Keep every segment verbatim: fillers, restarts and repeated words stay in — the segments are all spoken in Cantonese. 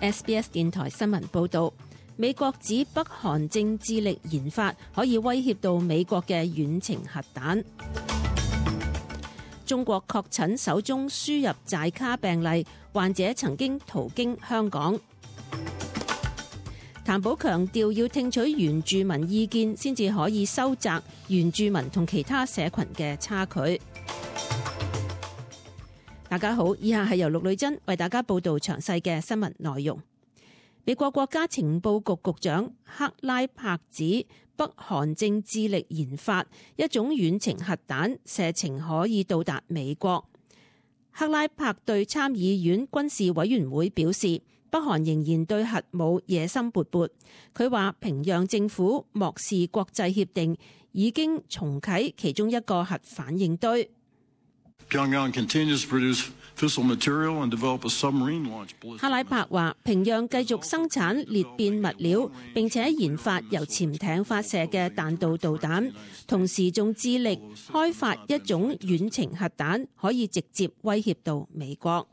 S B S 電台新聞報導，美國指北韓正致力研發可以威脅到美國嘅遠程核彈。中國確診首宗輸入寨卡病例，患者曾經途經香港。譚寶強調要聽取原住民意見，先至可以收窄原住民同其他社群嘅差距。大家好，以下係由陸女珍為大家報道詳細嘅新聞內容。美國國家情報局局長克拉柏指，北韓正致力研發一種遠程核彈，射程可以到達美國。克拉柏對參議院軍事委員會表示，北韓仍然對核武野心勃勃。佢話平壤政府漠視國際協定，已經重啟其中一個核反應堆。克拉柏話，平壤繼續生產裂變物料，並且研發由潛艇發射嘅彈道導彈，同時仲致力開發一種遠程核彈，可以直接威脅到美國。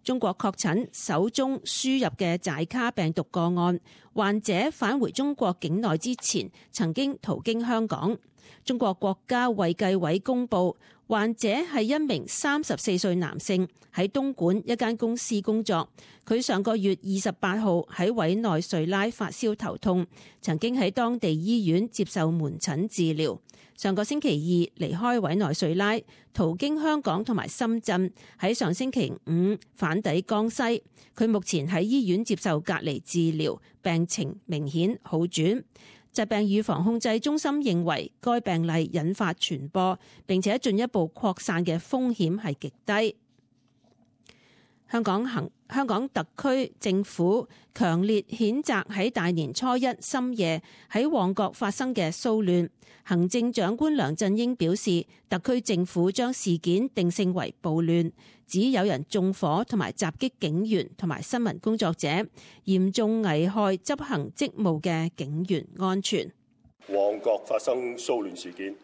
中國確診首宗輸入嘅寨卡病毒個案，患者返回中國境內之前曾經途經香港。中國國家衛計委公佈，患者係一名三十四歲男性，喺東莞一間公司工作。佢上個月二十八號喺委內瑞拉發燒頭痛，曾經喺當地醫院接受門診治療。上個星期二離開委內瑞拉，途經香港同埋深圳，喺上星期五返抵江西。佢目前喺醫院接受隔離治療，病情明顯好轉。疾病預防控制中心認為該病例引發傳播並且進一步擴散嘅風險係極低。香港行香港特區政府強烈譴責喺大年初一深夜喺旺角發生嘅騷亂。行政長官梁振英表示，特區政府將事件定性為暴亂，指有人縱火同埋襲擊警員同埋新聞工作者，嚴重危害執行職務嘅警員安全。旺角發生騷亂事件，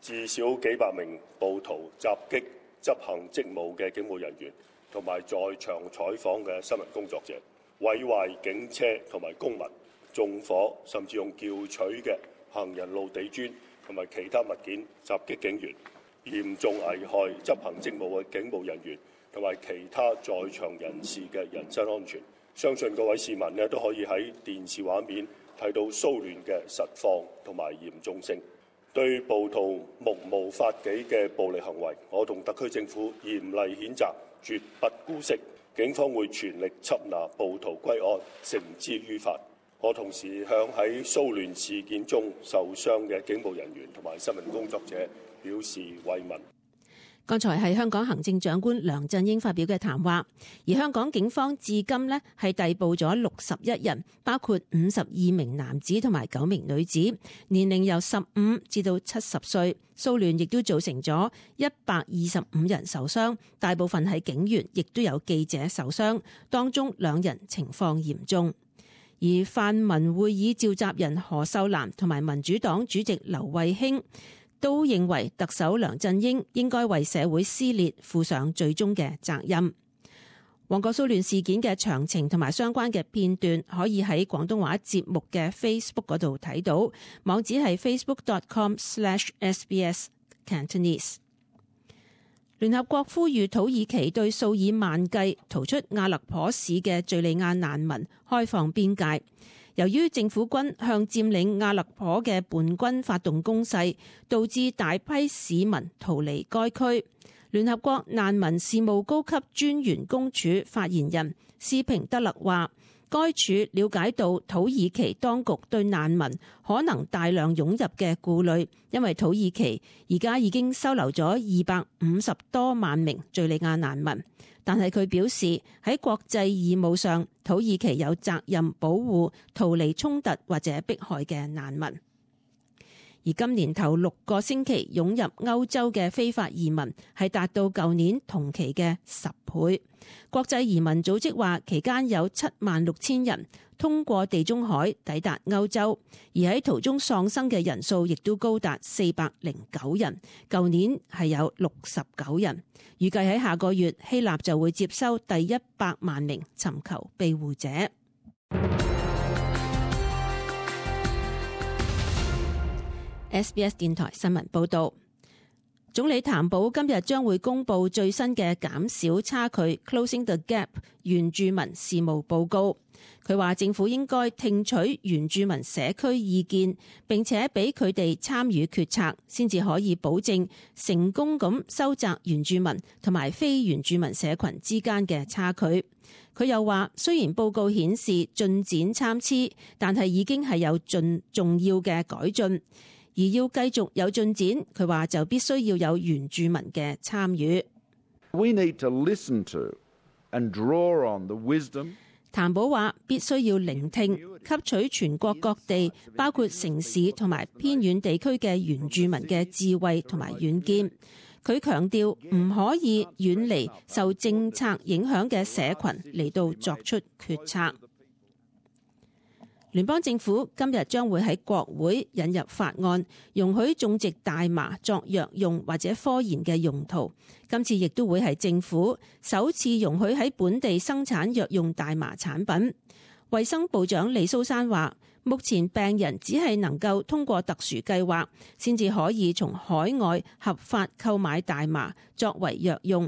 至少幾百名暴徒襲擊執行職務嘅警務人員同埋在場採訪嘅新聞工作者，毀壞警車同埋公物，縱火甚至用撬取嘅行人路地磚同埋其他物件襲擊警員，嚴重危害執行職務嘅警務人員同埋其他在場人士嘅人身安全。相信各位市民呢都可以喺電視畫面睇到騷亂嘅實況同埋嚴重性。對暴徒目無法紀嘅暴力行為，我同特區政府嚴厲譴責，絕不姑息。警方會全力緝拿暴徒歸案，繩之於法。我同時向喺騷亂事件中受傷嘅警務人員同埋新聞工作者表示慰問。剛才係香港行政長官梁振英發表嘅談話，而香港警方至今呢係逮捕咗六十一人，包括五十二名男子同埋九名女子，年齡由十五至到七十歲。騷亂亦都造成咗一百二十五人受傷，大部分係警員，亦都有記者受傷，當中兩人情況嚴重。而泛民會議召集人何秀蘭同埋民主黨主席劉慧卿都認為特首梁振英應該為社會撕裂負上最終嘅責任。旺角騷亂事件嘅詳情同埋相關嘅片段可以喺廣東話節目嘅 Facebook 嗰度睇到，網址係 facebook dot com slash S B S Cantonese。聯合國呼籲土耳其對數以萬計逃出阿勒頗市嘅敘利亞難民開放邊界。由於政府軍向佔領阿勒頗嘅叛軍發動攻勢，導致大批市民逃離該區。聯合國難民事務高級專員公署發言人斯平德勒話，該處了解到土耳其當局對難民可能大量湧入嘅顧慮，因為土耳其而家已經收留咗二百五十多萬名敘利亞難民。但係佢表示喺國際義務上，土耳其有責任保護逃離衝突或者迫害嘅難民。而今年頭六個星期湧入歐洲嘅非法移民係達到舊年同期嘅十倍。國際移民組織話，期間有七萬六千人通過地中海抵達歐洲，而喺途中喪生嘅人數亦都高達四百零九人，舊年係有六十九人。預計喺下個月，希臘就會接收第一百萬名尋求庇護者。S B S 電台新聞報道，總理譚寶今日將會公布最新嘅減少差距 （Closing the Gap） 原住民事務報告。佢話政府應該聽取原住民社區意見，並且俾佢哋參與決策，先至可以保證成功咁收窄原住民同埋非原住民社群之間嘅差距。佢又話，雖然報告顯示進展參差，但係已經係有盡重要嘅改進。而要繼續有進展，佢話就必須要有原住民嘅參與。We need to listen to and draw on the wisdom. 譚寶話必須要聆聽，吸取全國各地，包括城市同埋偏遠地區嘅原住民嘅智慧同埋遠見。佢強調唔可以遠離受政策影響嘅社群嚟到作出決策。聯邦政府今日將會喺國會引入法案，容許種植大麻作藥用或者科研嘅用途。今次亦都會係政府首次容許喺本地生產藥用大麻產品。衛生部長李蘇珊話，目前病人只係能夠通過特殊計劃，先至可以從海外合法購買大麻作為藥用。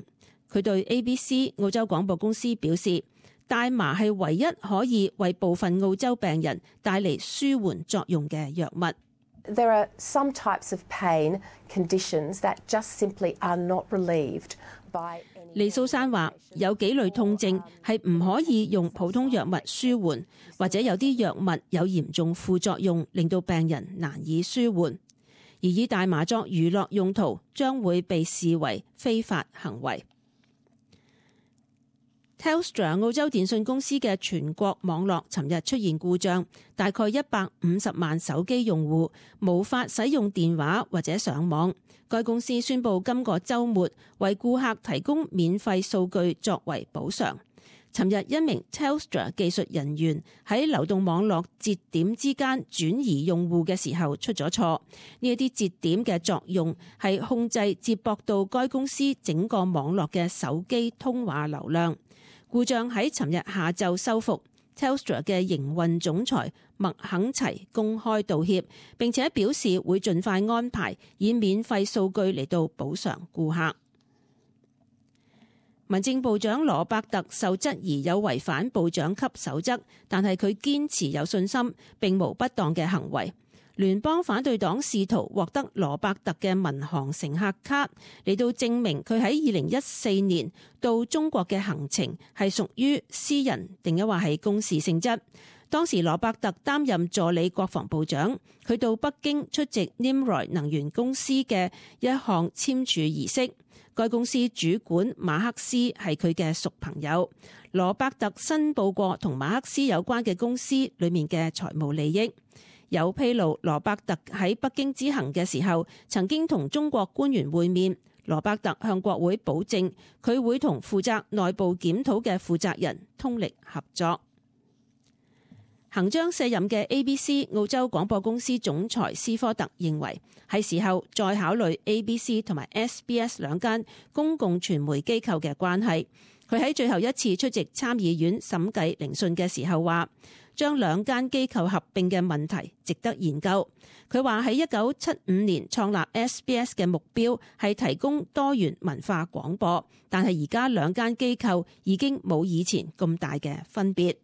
佢對 A B C 澳洲廣播公司表示，大麻係唯一可以為部分澳洲病人帶嚟舒緩作用嘅藥物。There are some types of pain conditions that just simply are not relieved by any... 李蘇珊話，有幾類痛症係唔可以用普通藥物舒緩，或者有啲藥物有嚴重副作用，令到病人難以舒緩。而以大麻作娛樂用途將會被視為非法行為。Telstra 澳洲電信公司嘅全國網絡尋日出現故障，大概一百五十萬手機用戶無法使用電話或者上網。該公司宣布今個週末為顧客提供免費數據作為補償。尋日一名 Telstra 技術人員喺流動網絡節點之間轉移用戶嘅時候出咗錯。呢一啲節點嘅作用係控制接駁到該公司整個網絡嘅手機通話流量。故障喺尋日下晝修復。Telstra 嘅營運總裁麥肯齊公開道歉，並且表示會盡快安排以免費數據嚟到補償顧客。民政部長羅伯特受質疑有違反部長級守則，但係佢堅持有信心並無不當嘅行為。聯邦反對黨試圖獲得羅伯特嘅民航乘客卡嚟到證明佢喺二零一四年到中國嘅行程係屬於私人定抑或係公事性質。當時羅伯特擔任助理國防部長，佢到北京出席 Nimroy 能源公司嘅一項簽署儀式。該公司主管馬克思係佢嘅熟朋友。羅伯特申報過同馬克思有關嘅公司裏面嘅財務利益。有披露，羅伯特喺北京之行嘅時候，曾經同中國官員會面。羅伯特向國會保證，佢會同負責內部檢討嘅負責人通力合作。行將卸任嘅 A B C 澳洲廣播公司總裁斯科特認為，係時候再考慮 A B C 同埋 S B S 兩間公共傳媒機構嘅關係。佢喺最後一次出席參議院審計聆訊嘅時候話，將兩間機構合併嘅問題值得研究。佢話喺一九七五年創立 S B S 嘅目標係提供多元文化廣播，但係而家兩間機構已經冇以前咁大嘅分別。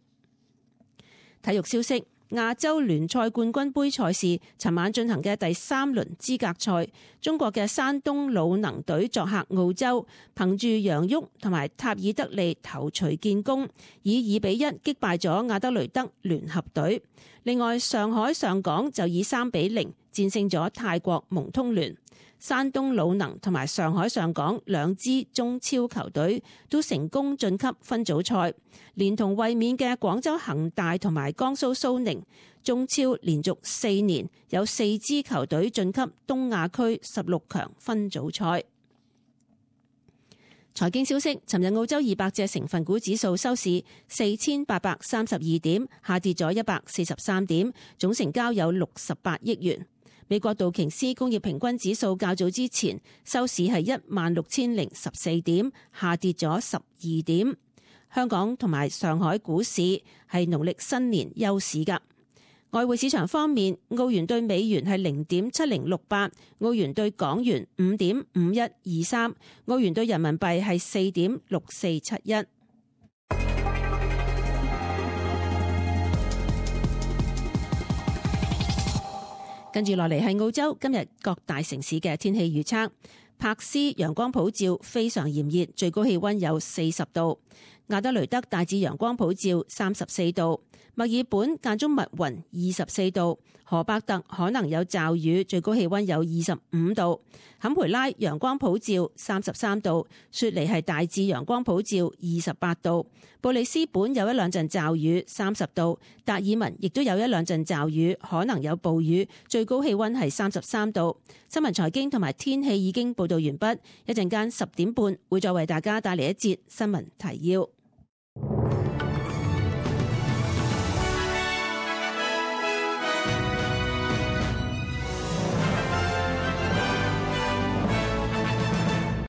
體育消息，亞洲聯賽冠軍盃賽事尋晚進行嘅第三輪資格賽，中國嘅山東魯能隊作客澳洲，憑住楊旭同埋塔爾德利頭槌建功，以二比一擊敗咗亞德雷德聯合隊。另外，上海上港就以三比零戰勝咗泰國蒙通聯。山東魯能同埋上海上港兩支中超球隊都成功晉級分組賽，連同衛冕嘅廣州恒大同埋江蘇蘇寧，中超連續四年有四支球隊晉級東亞區十六強分組賽。財經消息，尋日澳洲二百隻成分股指數收市四千八百三十二點，下跌咗一百四十三點，總成交有六十八億元。美國道瓊斯工業平均指數較早之前收市係一萬六千零十四點，下跌咗十二點。香港同埋上海股市係農曆新年休市㗎。外匯市場方面，澳元對美元係零點七零六八，澳元對港元五點五一二三，澳元對人民幣係四點六四七一。跟住落嚟係澳洲今日各大城市嘅天氣預測。柏斯陽光普照，非常炎熱，最高氣溫有四十度。亞德雷德大致陽光普照，三十四度。墨爾本間中密雲，二十四度。荷伯特可能有驟雨，最高氣溫有二十五度。坎培拉陽光普照，三十三度。雪梨係大致陽光普照，二十八度。布里斯本有一兩陣驟雨，三十度。達爾文亦都有一兩陣驟雨，可能有暴雨，最高氣溫係三十三度。新聞財經同埋天氣已經報道完畢，一陣間十點半會再為大家帶嚟一節新聞提要。